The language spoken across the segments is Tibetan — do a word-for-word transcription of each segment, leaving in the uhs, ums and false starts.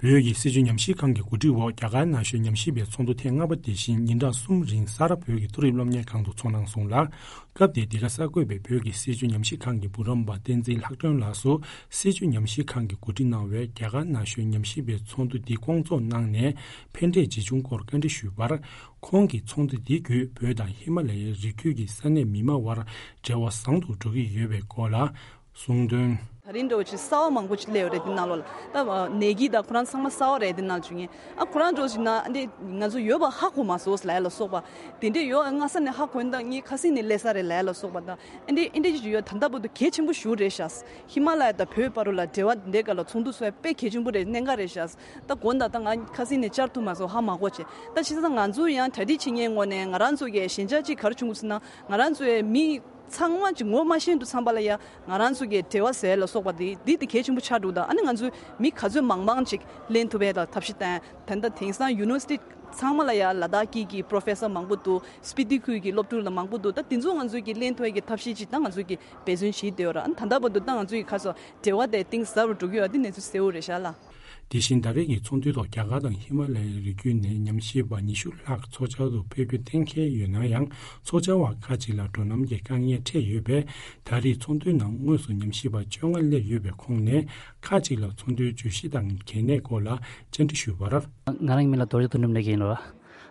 བོད་ཀྱི་སྲིད་བྱུས་ཉམས་ཞིབ་ཁང་གི་གོ་སྒྲིག་འོག་རྒྱ་གར་ན་གཞོན་ཉམས་ཞིབ་པའི་ཚོགས་འདུ་ཐེངས་ལྔ་པ་དེ་བཞིན་ཉིན་གྲངས་གསུམ་རིང་ས་རཱ་བོད་ཀྱི་མཐོ་རིམ་སློབ་གཉེར་ཁང་དུ་འཚོགས་གནང་སོང་ལ། སྐབས་དེའི་འདི་ག་གསར་འགོད་པས་བོད་ཀྱི་སྲིད་བྱུས་ཉམས་ཞིབ་ཁང་གི་འབུམ་རམས་པ་བསྟན་འཛིན་ལྷག་སྒྲོན་ལགས་སུ། སྲིད་བྱུས་ཉམས་ཞིབ་ཁང་གིས་གོ་སྒྲིག་གནང་བའི་རྒྱ་གར་ན་གཞོན་ཉམས་ཞིབ་པའི་ཚོགས་འདུ་འདི་བསྐོང་ཚོགས་གནང་ནས་ཕན་འབྲས་ཇི་བྱུང་སྐོར་བཀའ་འདྲི་ཞུས་པར། ཁོང་གིས་ཚོགས་འདུ་འདི་བརྒྱུད་བོད་དང་ཧི་མ་ལ་ཡའི་རི་རྒྱུད་ཀྱི་ས་གནས་མི་མང་བར་འབྲེལ་བ་བཟང་དུ་འགྲོ་གི་ཡོད་པའི་སྐོར་ལ་གསུངས་དོན། ད་རིང་འདྲ་བོ་ཅིག་གསར་བ་མང་པོ་ཅིག་སླེབས་ཡོད་རེད། འདི་ནང་ལོགས་ལ་ད་ནད་ཀྱིས་ད་ཁོ་རང་ཚང་མ་གསར་བ་རེད། འདི་ནང་བྱུང་ངས་ཨ་ཁོ་རང་འདྲ་བོ་ཅིག་ན་འདི་ང་ཚོ་ཡོད་པ་ཧ་གོ་མ་སོང་ལབ་ཡ་ལ་སོགས་པ། དེ་འདྲས་ཡོད་སྔ་ས་ནས་ཧ་གོ་ཡིན་ད་ངས་ཁ་སང་ནས་སླེབས་ས་རེད་ལབ་ཡ་ལ་སོགས་པ་དང་ཨ་འདྲས་ཨ་འདྲས་ཅིག་ཡོད། ད་ལྟ་བར་དུ་གལ་ཆེན་པོ་ཞེ་པོ་རེད་ཤག་ཧི་མ་ལ་ཡ་དང་བོད་བར་ལ་འབྲེལ་བ་འདི་འདྲས་སྒང་ལ་ཚོགས་འདུ་ཚོགས་ཡ་དཔེ་གལ་ཆེན་པོ་རེད། གནད་འགག་རེད་ཤག་ད་དགོངས་དག་ད་ང་ཁ་སང་ནས་བཅར་ཐུབ་མ་སོང་། ཧ་མ་གོ་བྱས། ད་བྱས་ཙང་ང་ཚོ་ཡང་གྲ་སྒྲིག་བྱེད་མཁན་ངོས་ནས་ང་རང་ཚོ་གི་ཞན་ཆ་ཅིག་ག་རེ་བྱུང་གི་ཟེར་ན་ང་རང་ཚོའི་མི་ཚང་མ་ཅིག་ངོ་མ་ཤེས་འདུག་ཚང་པ་ལ་ཡ་ང་རང་ཚོ་གི་འབྲེལ་བ་ཟེར་ལ་སོགས་པ་དེ་འདི་དེ་གལ་ཆེན་པོ་ཆགས་འདུག་ད་ཨ་ནི་ང་ཚོའི་མི་ག་ཚོད་མང་མང་ཅིག་ལེན་ཐུབ་པའི་ལ་ཐབས་ཤེས་བསྟན། ད་ལྟ་དེང་སང་ཡུ་ནི་ཝར་སི་ཊི་ཚང་མ་ལ་ཡ་ལ་དྭགས་སྐད་ཀྱི་པོ་རོ་ཕེ་སར་མང་པོ་འདུག་སྤི་ཏི་ཁུལ་གྱི་སློབ་ཕྲུག་ལ་མང་པོ་འདུག་ད་དེ་ཚོ་ང་ཚོའི་གི་ལེན་ཐུབ་པའི་གི་ཐབས་ཤེས་ཅིག་ད་ང་ཚོའི་གི་འབད་བརྩོན་བྱེད་བསྡད་ཡོད་ར། ཨ་ནི་ད་ལྟ་བར་དུ་ད་ང་ཚོའི་གི་ཁ་སོ་འབྲེལ་བ་དེ་གཏིང་ཟབ་རུ་འགྲོ་གི་ཡོད། འདི་གནས་ཚུལ་གསལ་བོ་རེད་ཤག་ལ། དེ་བཞིན་ད་རེས་ཀྱི་ཚོགས་འདུའི་ཐོག་རྒྱ་གར་དང་ཧི་མ་ལ་ཡའི་རི་རྒྱུད་ནས་ཉམས་ཞིབ་པ་ཉི་ཤུ་ལྷག་ཚོགས་བཅར་དུ་ཕེབས་རྒྱུ་གཏན་འཁེལ་ཡོད་ན་ཡང་། ཚོགས་བཅར་བ་ཁག་ཅིག་ལ་འགྲོ་ལམ་གྱི་དཀའ་ངལ་འཕྲད་ཡོད་པས། ད་རེས་ཚོགས་འདུའི་ནང་དངོས་སུ་ཉམས་ཞིབ་པ་བཅོ་ལྔ་སླེབས་ཡོད་པའི་ཁོངས་ནས། ཁག་ཅིག་ལ་ཚོགས་འདུའི་བརྗོད་གཞི་དང་གལ་གནད་སྐོར་ལ་བཅར་འདྲི་ཞུས་པར། ང་རང་གི་མིང་ལ་རྡོ་རྗེ་དོན་གྲུབ་ལབ་ཀྱི་ཡིན་ལ།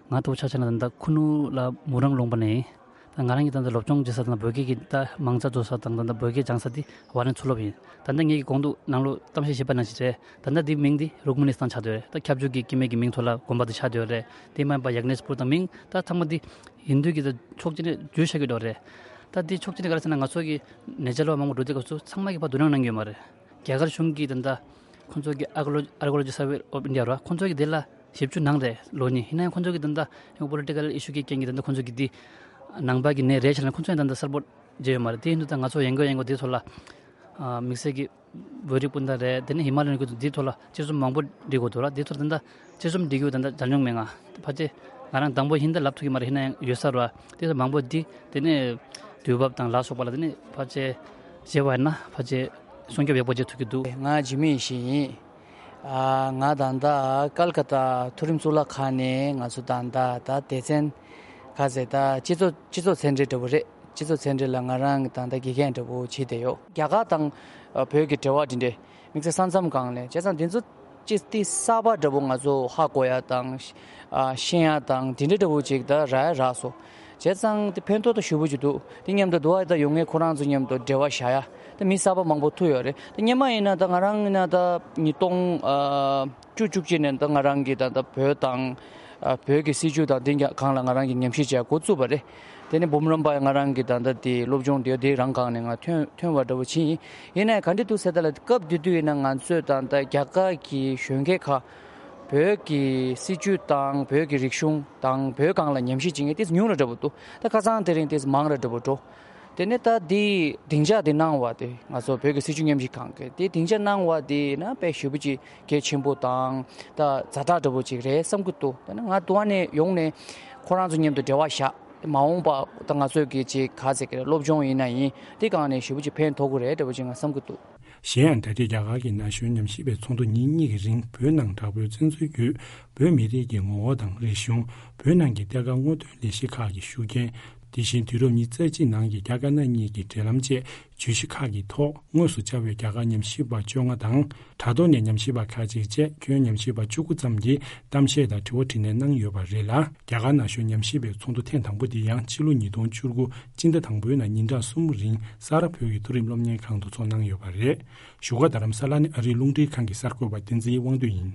ང་ལྟ་བུ་ཆ་བཞག་ན་ད་ལྟ་ཁུ་ནུ་ལ་མུ་རང་ལུང་པ་ནས་ཡིན། ད་ང་རང་གིས་ད་ལྟ་སློབ་སྦྱོང་བྱེད་ས་དང་བོད་སྐད་ཀྱི་ད་མང་ཚོགས་འགྲོ་ས་དང་ད་ལྟ་བོད་སྐད་སྦྱང་ས་དེ་ཝཱ་རན་མཚོ་སློབ་ཡིན། ད་ལྟ་ངེད་ཀྱི་གོང་དུ་ནང་ལོགས་གཏམ་བཤད་བྱས་པ་ནང་བཞིན་རེད། ད་ལྟ་འདི་མིང་འདི་རུག་མ་ནི་སི་ཐན་ཆགས་བསྡད་ཡོད་རེད། ད་ཁྱབ་འཇུག་གི་སྐྱེ་དམན་གྱི་མིང་ཐོག་ལ་དགོངས་པ་དེ་ཆགས་བསྡད་ཡོད་རེད། དེ་མ་ཡིན་པ་ཡག་ནེས་པུར་དང་མིང་ད་ཚང་མ་འདི་ཡིན་དུས་ཀྱི་ད་ཕྱོགས་གཅིག་ནས་བརྗོད་བྱ་གི་འགྲོ་རེད། ད་འདི་ཕྱོགས་གཅིག་ནས་ག་རེ་ཟེར་ན་ང་ཚོ་གི་ནེ་ཅར་ལ་མང་པོ་འགྲོ་དུས་སྐབས་སུ་ཚང་མ་གི་ཕར་དོ་སྣང་གནང་གི་ཡོད་མ་རེད། རྒྱ་གར་གཞུང་གིས་ད་ལྟ་ཁོང་ཚོ་གི་ཨར་ཀི་ཨོ་ལོ་ཨར་ཀི་ཨོ་ལོ་ཇི་སར་ཝེ་ཨོཕ་ཨིན་ཌི་ཡ་ར་ཁོང་ཚོ་གི་དེ་ལ་ཞིབ་འཇུག་གནང་རེད་ལོ་གཉིས། ཡིན་ན་ཡང་ཁོང་ཚོ་གི་ད་ལྟ་ཡང་པོ་ལི་ཊི་ཀལ་ཨི་ཤུ་གི་རྐྱེན་གྱིས་ད་ལྟ་ཁོང་ཚོ་གི་དེ་ནང་པ་གི་ནད་རེད་བྱས་ན་ཁོང་ཚོ་ཡང་ད་ལྟ་གསལ་པོ་བརྗོད་ཡོད་མ་རེད། དེ་ཡིན་དུས་ད་ང་ཚོ་ཡན་གོ་ཡན་གོ་དེ་ཚོ་ལ་དམིགས་བསལ་གྱི་བོད་རིགས་སྤུན་ཟླ་རེད། དེ་ནས་ཧི་མ་ལ་ཡའི་ཁུལ་དུ་འདིའི་ཐོག་ལ་དཔྱད་རྩོམ་མང་པོ་འབྲི་དགོས་འདུག་ལ། འདིའི་ཐོག་ད་ལྟ་དཔྱད་རྩོམ་འབྲི་རྒྱུ་ད་ལྟ་མཇལ་མྱོང་མེད་ང་། ཕལ་ཆེར་ང་རང་དང་པོ་ཡིན་ད་ལབ་ཐུབ་ཀྱི་མ་རེད། ཡིན་ན་ཡང་ཡོད་ས་རེད་བ། དེ་ཚོ་མང་པོ་འདི་དེ་ནས་དུས་བབ་དང་ལ་སོགས་པ་ལ་དེ་ནས་ཕལ་ཆེར་བྱས་པ་ཡིན་ན་ཕལ་ཆེར་སྲུང་སྐྱོབ་ཡག་པོ་བྱེད་ཐུབ་ཀྱི་འདུག་ང་འཇིགས་མེད་ཡེ་ཤེས་ཡིན། ཨ་ང་ད་ལྟ་ཀལ་ཀ་ཏ་མཐོ་རིམ་གཙུག་ལག་ཁང་ནས་ང་ཚོ་ད་ལྟ་ད་སྡེ་ཚན་ག་ཟེར་ད་སྤྱི་ཚོགས་སྤྱི་ཚོགས་མཚན་འབྲེལ་འདྲ་པོ་རེད། སྤྱི་ཚོགས་མཚན་འབྲེལ་ལ་ང་རང་གི་ད་ལྟ་དགེ་རྒན་འདྲ་པོ་བྱེད་བསྡད་ཡོད། རྒྱ་གར་དང་ཨ་བོད་ཀྱི་འབྲེལ་བ་འདི་འདྲས་དམིགས་བསལ་ས་མཚམས་སྒང་ལ་བྱས་ཙང་འདི་ཚོ་ཅི་སྟེ་གསར་པ་འདྲ་པོ་ང་ཚོ་ཧ་གོ་ཡ་དང་ཨ་ཤེས་ཡ་དང་འདི་འདྲ་འདྲ་པོ་ཅིག་ད་རག་ཡ་རག་སོང་། བྱས་ཙང་དེ་ཕན་ཐོགས་ད་ཞེ་པོ་ཅིག་འདུག་དེ་མཉམ་དུ་འདུག་ཨ་ད་ཡོང་མཁན་ཁོ་རང་ཚོ་མཉམ་དུ་འབྲེལ་བ་བཞག་ཡ་ད་མི་གསར་པ་མང་པོ་ཐུག་ཡོད་རེད། ད་སྔོན་མ་ཡིན་ན་ད་ང་རང་ཡིན་ན་ད་ཉིས་སྟོང་ཨ་བཅུ་བཅུ་གཅིག་ནས་ད་ང་རང་གིས་ད་ལྟ་བོད་དང་ཨ་བོད་ཀྱི་སྲིད་བྱུས་དང་དེ་ག་སྒང་ལ་ང་རང་གིས་ཉམས་ཞིབ་བྱས་འགོ་བཙུགས་པ་རེད། དེ་ནས་འབུམ་རམས་པ་ང་རང་གིས་ད་ལྟ་དེ་སློབ་སྦྱོང་དེ་དེ་རང་སྒང་ནས་ང་ཐོན་ཐོན་པ་འདྲ་པོ་ཕྱིན་ཡིན། ཡིན་ནའི་ག་འདྲ་འདུག་ཟེར་ད་ལ་སྐབས་དེ་དུས་ཡིན་ན་ང་ཚོས་ད་ལྟ་རྒྱ་གར་གྱི་གཞོན་སྐྱེས་ཁག་བོད་ཀྱི་སྲིད་བྱུས་དང་བོད་ཀྱི་རིག་གཞུང་དང་བོད་སྒང་ལ་ཉམས་ཞིབ་བྱེད་མཁན་དེ་ཉུང་ར་འདྲ་པོ་འདུག་ད་ཁ་སང་དེ་རིང་དེ་མང་ར་འདྲ་པོ་འགྲོ། དེ་ནས་ད་འདི་སྡིངས་ཆ་འདི་གནང་བ་དེ་ང་ཚོ་བོད་ཀྱི་སྲིད་བྱུས་ཉམས་ཞིབ་ཁང་གི་དེ་སྡིངས་ཆ་གནང་བ་དེ་ན་དཔེ་ཞེ་པོ་ཅིག་གལ་ཆེན་པོ་དང་ད་ཛ་དྲག་འདྲ་པོ་ཅིག་རེད་བསམ་གྱི་འདུག་དེ་ནས་ང་དུ་བ་ནས་ཡོང་ནས་ཁོ་རང་ཚོ་མཉམ་དུ་འབྲེལ་བ་བཞག་མ་འོངས་པ་ད་ང་ཚོས་ཀྱི་ཅིག་ག་ཟེར་གི་རེད་སློབ་སྦྱོང་ཡིན་ན་ཡིན་དེ་སྒང་ནས་ཞེ་པོ་ཅིག་ཕན་ཐོགས་ཀྱི་རེད་འདྲ་པོ་ཅིག་ང་བསམ་གྱི་འདུག་གཞན་ཡང་ད་ལྟའི་རྒྱ་གར་གྱི་ན་གཞོན་ཉམས་ཞིབ་པའི་ཚོགས་འདུ་ཉིན་གཉིས་ཀྱི་རིང་བོད་ནང་དྲག་པོའི་བཙན་འཛུལ་བརྒྱུད་བོད་མི་རིགས་ཀྱི་ངོ་བོ་དང་རིག་གཞུང་། བོད་ནང་གི་གཏེར་ཁ་སྔོག་འདོན་ལས་གཞི་ཁག་གི་ཤུགས་རྐྱེན། དེ་བཞིན་དུས་རབས་ཉི་ཤུ་རྩ་གཅིག་ནང་གི་རྒྱ་དཀར་ནག་གཉིས་ཀྱི་འབྲེལ་ལམ་བཅས་བརྗོད་གཞི་ཁག་གི་ཐོག་དངོས་སུ་བཅར་བའི་རྒྱ་གར་ཉམས་ཞིབ་པ་བཅོ་ལྔ་དང་དྲ་ཐོག་ནས་ཉམས་ཞིབ་པ་ཁག་ཅིག་བཅས་ཁྱོན་ཉམས་ཞིབ་པ་བཅུ་དགུ་ཙམ་གྱིས་གཏམ་བཤད་དང་དྲི་བ་དྲིས་ལན་གནང་ཡོད་པ་རེད་ལ། རྒྱ་གར་ན་གཞོན་ཉམས་ཞིབ་པའི་ཚོགས་འདུ་ཐེངས་དང་པོ་འདི་ཡང་ཕྱི་ལོ་ཉིས་སྟོང་བཅུ་དགུ་སྤྱི་ཟླ་དང་པོའི་ནང་ཉིན་གྲངས་གསུམ་རིང་ས་རཱ་བོད་ཀྱི་མཐོ་རིམ་སློབ་གཉེར་ཁང་དུ་འཚོགས་གནང་ཡོད་པ་རེད། བཞུགས་སྒར་རྡ་རམ་ས་ལ་ནས་ཨ་རིའི་རླུང་འཕྲིན་ཁང་གི་གསར་འགོད་པ་བསྟན་འཛིན་དབང་འདུས་ཡིན།